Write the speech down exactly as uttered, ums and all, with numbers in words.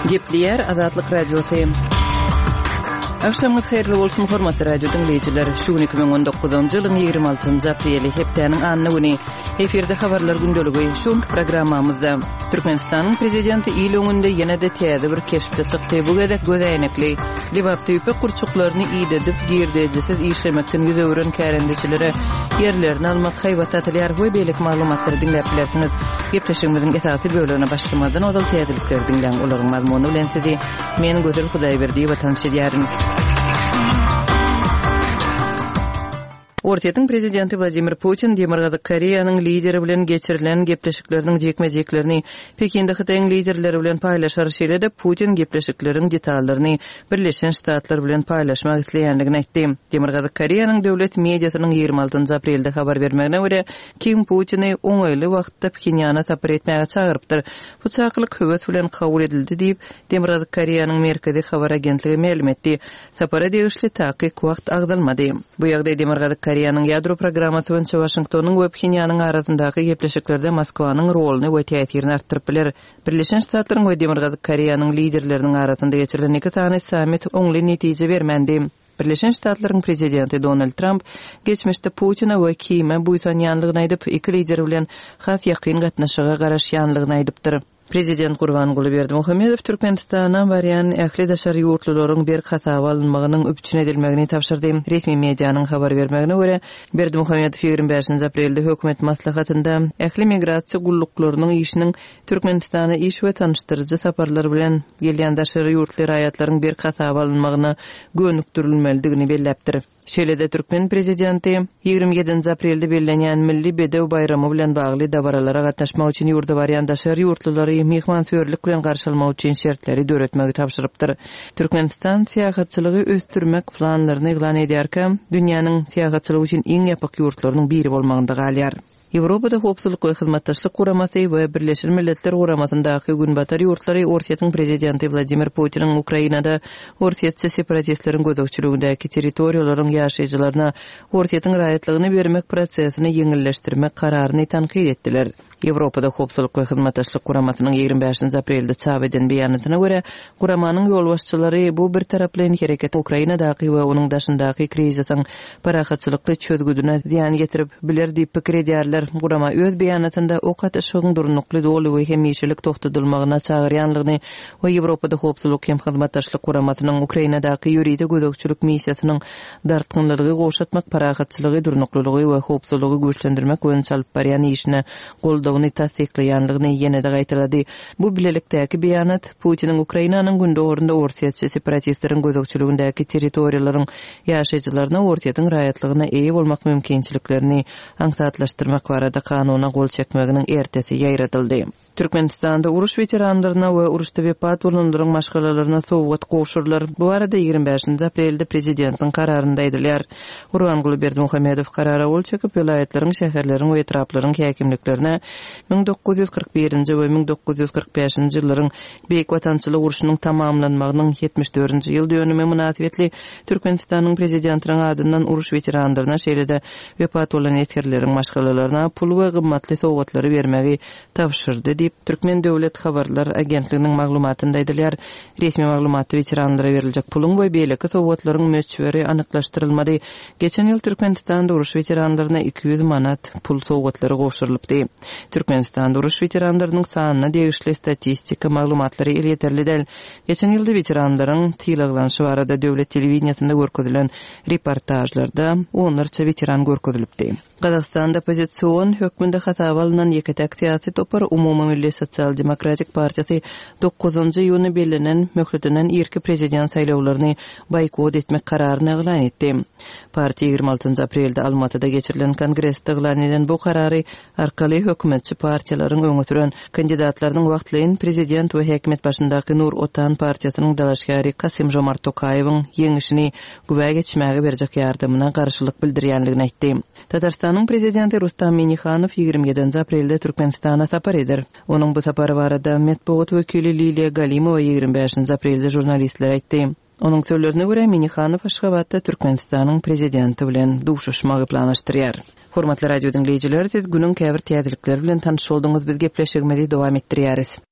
Gepleýär Azatlyk Radiosy. Agşamyňyz haýyrly bolsun, hormatly radio diňleýjiler. Şu gün iki müň on dokuzynjy ýylyň ýigrimi altynjy apreli, hepdäniň anna güni. Efirde habarlar gündeligi. Şu günki programmamyzda Türkmenistanyň prezidenti il öňünde ýene-de täze bir keşpde çykdy. Bu gezek göz äýnekli. Lebapda ýüpek gurçuklaryny idedip, girdejisiz işlemekden ýüz öwren kärendeçilere ýerlerini almak haýbat atylýar we beýleki maglumatlary diňläp bilersiňiz. Gepleşigimiziň esasy bölegine başlamazdan ozal täzelikleri diňläň. Olaryň mazmuny bilen sizi men Gözel Hudaýberdiýewa tanyş edýärin. Orsýetiň prezidenti Wladimir Putin Demirgazyk Koreýanyň lideri bilen geçirilen gepleşikleriniň jikme-jiklerini Pekinde Hytaýyň liderleri bilen paýlaşar. Şeýle-de Putin gepleşikleriň detallaryny Birleşen Ştatlar bilen paýlaşmak isleýändigini aýtdy. Demirgazyk Koreýanyň döwlet mediasynyň ýigrimi altynjy aprelde habar bermegine görä, Kim Putini oňaýly wagtda Phenýana sapar etmäge çagyrypdyr. Bu çakylyk höwes bilen kabul edildi diýip, Demirgazyk Koreýanyň Merkezi habar agentligi mälim etdi. Sapara degişli takyk wagt agzalmady. Bu ýagdaý Demirgazyk Koreýanyň ýadro programmasy boýunça Waşingtonyň we Phenýanyň arasyndaky gepleşiklerde Moskwanyň roluny we täsirini artdyryp biler. Birleşen Ştatlaryň we Demirgazyk Koreýanyň liderleriniň arasynda geçirilen iki sany sammit oňly netije bermändi. Birleşen Ştatlaryň prezidenti Donald Tramp geçmişde Putine we Kime buýsanýanlygyny aýdyp, iki lider bilen has ýakyn gatnaşyga garaşýanlygyny aýdypdyr. Prezident Gurbanguly Berdimuhamedow Türkmenistana barýan ähli daşary ýurtlularyň berk hasaba alynmagynyň üpjün edilmegini tabşyrdy. Resmi medianyň habar bermegine görä, Berdimuhamedow ýigrimi bäşinji aprelde hökümet maslahatynda ähli migrasiýa gulluklarynyň işiniň Türkmenistana iş we tanyşdyryjy saparlar bilen gelýän daşary ýurtly raýatlaryň berk hasaba alynmagyna gönükdirilmelidigini belläpdir. Şeýle-de türkmen prezidenti ýigrimi ýedinji aprelde bellenýän Milli bedew baýramy bilen bagly dabaralara gatnaşmak üçin ýurda barýan daşary ýurtlulary myhmansöýerlik bilen garşylamak üçin şertleri döretmegi tabşyrypdyr. Türkmenistan syýahatçylygy ösdürmek planlaryny yglan edýärkä, dünýäniň syýahatçylyk üçin iň ýapyk ýurtlarynyň biri bolmagynda galýar. Ýewropada Howpsuzlyk we Hyzmatdaşlyk Guramasy we Birleşen Milletler Guramasyndaky Günbatar ýurtlary Orsýetiň prezidenti Wladimir Putiniň Ukrainada orsýetçi separatistleriň gözegçiligindäki territoriýalaryň ýaşaýjylaryna Orsýetiň raýatlygyny bermek prosesini ýeňilleşdirmek kararyny tankyt etdiler. Ýewropada Howpsuzlyk we Hyzmatdaşlyk Guramasynyň ýigrimi bäşinji aprelde çap eden beýanatyna görä, guramanyň ýolbaşçylary bu birtaraplaýyn hereket Ukrainadaky we onuň daşyndaky krizisiň parahatçylykly çözgüdine zyýan ýetirip biler diýip pikir edýärler. Gurama öz beýanatynda ok atyşygyň durnukly, doly we hemişelik togtadylmagyna çagyrýanlygyny we Ýewropada Howpsuzlyk hem Hyzmatdaşlyk Guramasynyň Ukrainadaky ýörite gözegçilik missiýasynyň dartgynlylygy gowşatmak, parahatçylygy, durnuklylygy we howpsuzlygy güýçlendirmek boýunça alyp barýan işine goldawyny tassyklaýanlygyny ýene-de gaýtalady. Bu bilelikdäki beýanat Putiniň Ukrainanyň gündogarynda orsýetçi separatistleriň gözegçiligindäki territoriýalaryň ýaşaýjylaryna Orsýetiň raýatlygyna eýe bolmak mümkinçiliklerini aňsatlaşdyrmak barada kanuna gol çekmeginiň ertesi ýaýradyldy. Türkmenistanda uruş weteranlaryna we uruşda wepat bolanlaryň maşgalalaryna sowgat gowşurylar. Bu barada ýigrimi bäşinji aprelde prezidentiň kararynda aýdylýar. Gurbanguly Berdimuhamedow karara gol çekip, welaýatlaryň, şäherleriň we etraplaryň häkimliklerine müň dokuz ýüz kyrk birinji we müň dokuz ýüz kyrk bäşinji ýyllaryň Beýik Watançylyk urşunyň tamamlanmagynyň ýetmiş dördünji ýyl dönümi mynasybetli Türkmenistanyň prezidentiniň adyndan uruş weteranlaryna, şeýle-de wepat bolan esgerleriň maşgalalaryna pul we gymmatly sowgatlary bermegi tabşyrdy diýip, Türkmen döwlet habarlar agentliginiň maglumatynda aýdylýar. Resmi maglumatda weteranlara beriljek puluň we beýleki sowgatlaryň möçberi anyklaşdyrylmady. Geçen ýyl Türkmenistanda uruş weteranlaryna iki ýüz manat pul sowgatlary gowşurylypdy. Türkmenistanda uruş weteranlarynyň sanyna degişli statistika maglumatlary elýeterli däl. Geçen ýylda weteranlaryň sylaglanyşy barada döwlet telewideniýesinde görkezilen reportajlarda onlarça weteran görkezilipdi. Gazagystanda oppozision hökmünde hasaba alynan ýeke-täk syýasy topar Umumy Milli Sosial Demokratik Partiýasy dokuzynjy iýunda bellenen möhletinden irki prezident saýlawlaryny boýkot etmek kararyny yglan etdi. Partiýa ýigrimi altynjy aprelde Almatyda geçirilen kongresde yglan eden bu karary arkaly hökümetçi partiýalaryň öňe süren kandidatlarynyň wagtlaýyn prezident we häkimiýet başyndaky Nur Otan partiýasynyň dalaşgäri Kasym Jomart Tokaýewiň ýeňişini güwä geçmäge berjek ýardamyna garşylyk bildirýänligini aýtdy. Tatarstanyň prezidenti Rustam Minihanow ýigrimi ýedinji aprelde Türkmenistana sapar eder. Onuň bu sapary barada metbugat wekili Liliýa Galimowa ýigrimi bäşinji aprelde žurnalistlere aýtdy. Onuň sözlerine görä, Minihanow Aşgabatda Türkmenistanyň prezidenti bilen duşuşmagy planlaşdyrýar. Hormatly radio diňleýjiler, siz günüň käbir täzelikleri bilen tanyş bolduňyz, biz gepleşigimizi dowam etdirýäris.